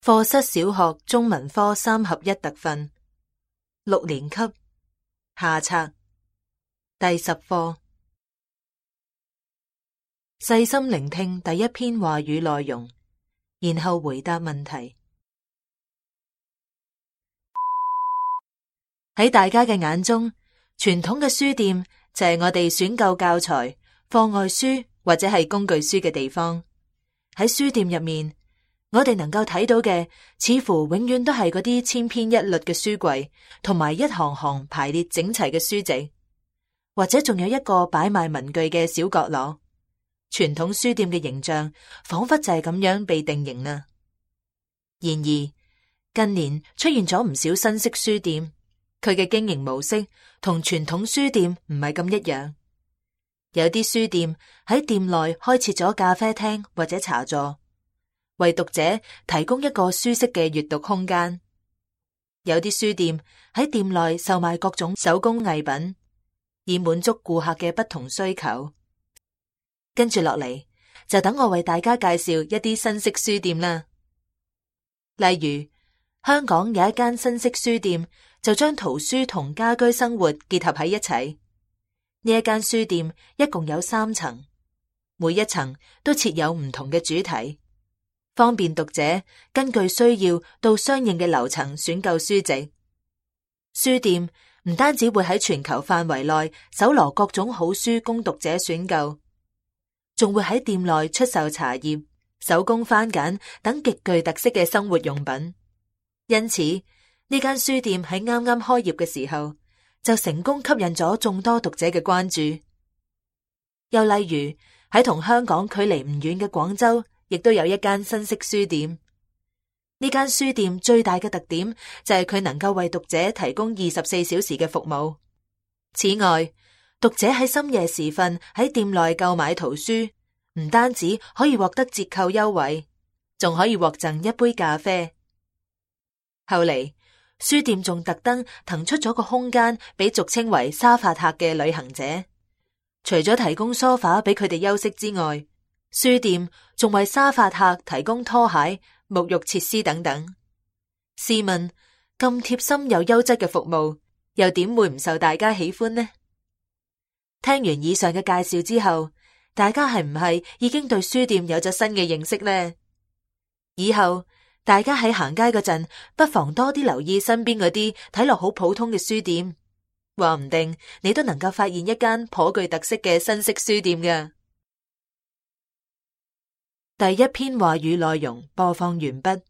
課室小學中文科3合1特訓，6年級下冊第10課。細心聆聽第一篇話語內容，然後回答問題。喺大家嘅眼中，傳統嘅書店就係我哋選購教材、課外書或者係工具書嘅地方。喺書店入面，我哋能夠睇到嘅，似乎永遠都係嗰啲千篇一律嘅書櫃，同埋一行行排列整齊嘅書籍，或者仲有一個擺賣文具嘅小角落。傳統書店嘅形象，仿佛就係咁樣被定型啦。然而，近年出現咗唔少新式書店，佢嘅經營模式同傳統書店唔係咁一樣。有啲書店喺店內開設咗咖啡廳或者茶座，為讀者提供一個舒適嘅閱讀空間。有啲書店喺店內售賣各種手工藝品，以滿足顧客嘅不同需求。跟住落嚟，就等我為大家介紹一啲新式書店啦。例如，香港有一間新式書店，就將圖書同家居生活結合喺一齊。呢一間書店一共有3層，每一層都設有唔同嘅主題，方便讀者根據需要到相應嘅樓層選購書籍。書店唔單止會喺全球範圍內搜羅各種好書供讀者選購，仲會喺店內出售茶葉、手工番梘等極具特色嘅生活用品。因此，呢間書店喺啱啱開業嘅時候，就成功吸引咗眾多讀者嘅關注。又例如喺同香港距離唔遠嘅廣州，亦都有一間新式書店。呢間書店最大嘅特點就係佢能夠為讀者提供24小時嘅服務。此外，讀者喺深夜時分喺店內購買圖書，唔單止可以獲得折扣優惠，仲可以獲贈一杯咖啡。後嚟，書店仲特登騰出咗個空間俾俗稱為沙發客嘅旅行者。除咗提供梳化俾佢哋休息之外，書店仲為沙發客提供拖鞋、沐浴設施等等。試問，咁貼心又優質嘅服務，又點會唔受大家喜歡呢？聽完以上嘅介紹之後，大家係唔係已經對書店有咗新嘅認識呢？以後大家喺行街嗰陣，不妨多啲留意身邊嗰啲睇落好普通嘅書店，話唔定你都能夠發現一間頗具特色嘅新式書店㗎。第一篇話語內容播放完畢。